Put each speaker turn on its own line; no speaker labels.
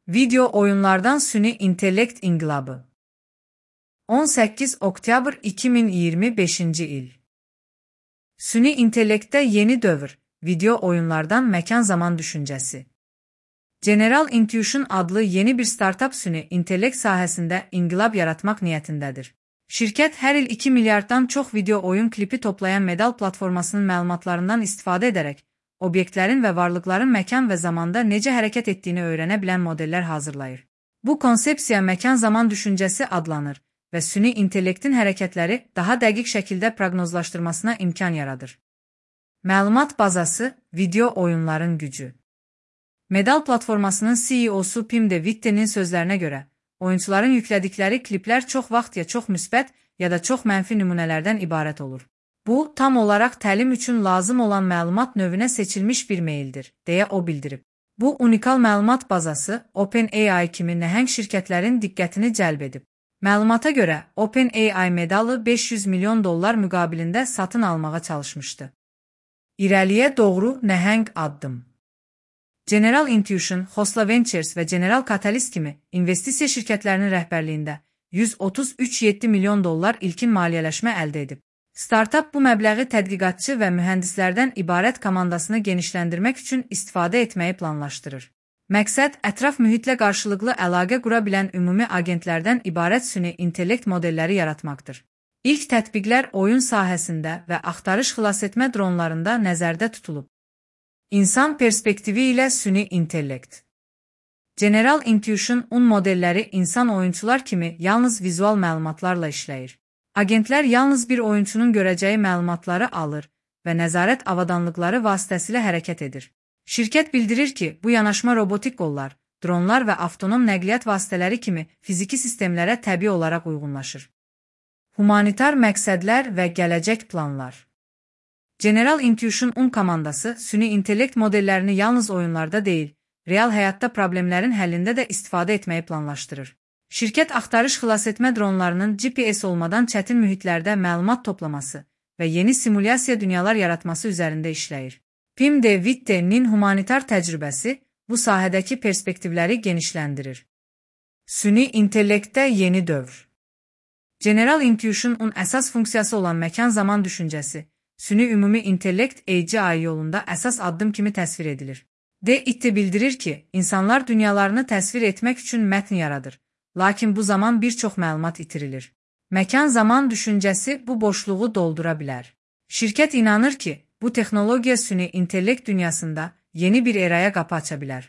Video oyunlardan süni intellekt inqilabı. 18 oktyabr 2025 il. Süni intellektdə yeni dövr, video oyunlardan məkan-zaman düşüncəsi. General Intuition adlı yeni bir startup süni intellekt sahəsində inqilab yaratmaq niyyətindədir. Şirkət hər il 2 milyarddan çox video oyun klipi toplayan Medal platformasının məlumatlarından istifadə edərək, obyektlərin və varlıqların məkan və zamanda necə hərəkət etdiyini öyrənə bilən modellər hazırlayır. Bu konsepsiya məkan-zaman düşüncəsi adlanır və süni intellektin hərəkətləri daha dəqiq şəkildə proqnozlaşdırmasına imkan yaradır. Məlumat bazası, video oyunların gücü. Medal platformasının CEO-su Pim De Vitte'nin sözlərinə görə, oyunçuların yüklədikləri kliplər çox vaxt ya çox müsbət ya da çox mənfi nümunələrdən ibarət olur. Bu, tam olaraq təlim üçün lazım olan məlumat növünə seçilmiş bir meyldir, deyə o bildirib. Bu, unikal məlumat bazası OpenAI kimi nəhəng şirkətlərin diqqətini cəlb edib. Məlumata görə, OpenAI Medalı $500 milyon müqabilində satın almağa çalışmışdı. İrəliyə doğru nəhəng addım. General Intuition, Khosla Ventures və General Catalyst kimi investisiya şirkətlərinin rəhbərliyində $133,7 milyon ilkin maliyyələşmə əldə edib. Startup bu məbləği tədqiqatçı və mühəndislərdən ibarət komandasını genişləndirmək üçün istifadə etməyi planlaşdırır. Məqsəd, ətraf mühitlə qarşılıqlı əlaqə qura bilən ümumi agentlərdən ibarət süni intellekt modelləri yaratmaqdır. İlk tətbiqlər oyun sahəsində və axtarış xilasetmə dronlarında nəzərdə tutulub. İnsan perspektivi ilə süni intellekt. General Intuition modelləri insan oyunçular kimi yalnız vizual məlumatlarla işləyir. Agentlər yalnız bir oyunçunun görəcəyi məlumatları alır və nəzarət avadanlıqları vasitəsilə hərəkət edir. Şirkət bildirir ki, bu yanaşma robotik qollar, dronlar və avtonom nəqliyyat vasitələri kimi fiziki sistemlərə təbii olaraq uyğunlaşır. Humanitar məqsədlər və gələcək planlar. General Intuition komandası süni intellekt modellərini yalnız oyunlarda deyil, real həyatda problemlərin həllində də istifadə etməyi planlaşdırır. Şirkət axtarış xilasetmə dronlarının GPS olmadan çətin mühitlərdə məlumat toplaması və yeni simulyasiya dünyalar yaratması üzərində işləyir. Pim De Vitte'nin humanitar təcrübəsi bu sahədəki perspektivləri genişləndirir. Süni intellektdə yeni dövr. General Intuition əsas funksiyası olan məkan-zaman düşüncəsi, süni ümumi intellekt AGI yolunda əsas addım kimi təsvir edilir. De Vitte bildirir ki, insanlar dünyalarını təsvir etmək üçün mətn yaradır. Lakin bu zaman bir çox məlumat itirilir. Məkan-zaman düşüncəsi bu boşluğu doldura bilər. Şirkət inanır ki, bu texnologiya süni intellekt dünyasında yeni bir eraya qapı aça bilər.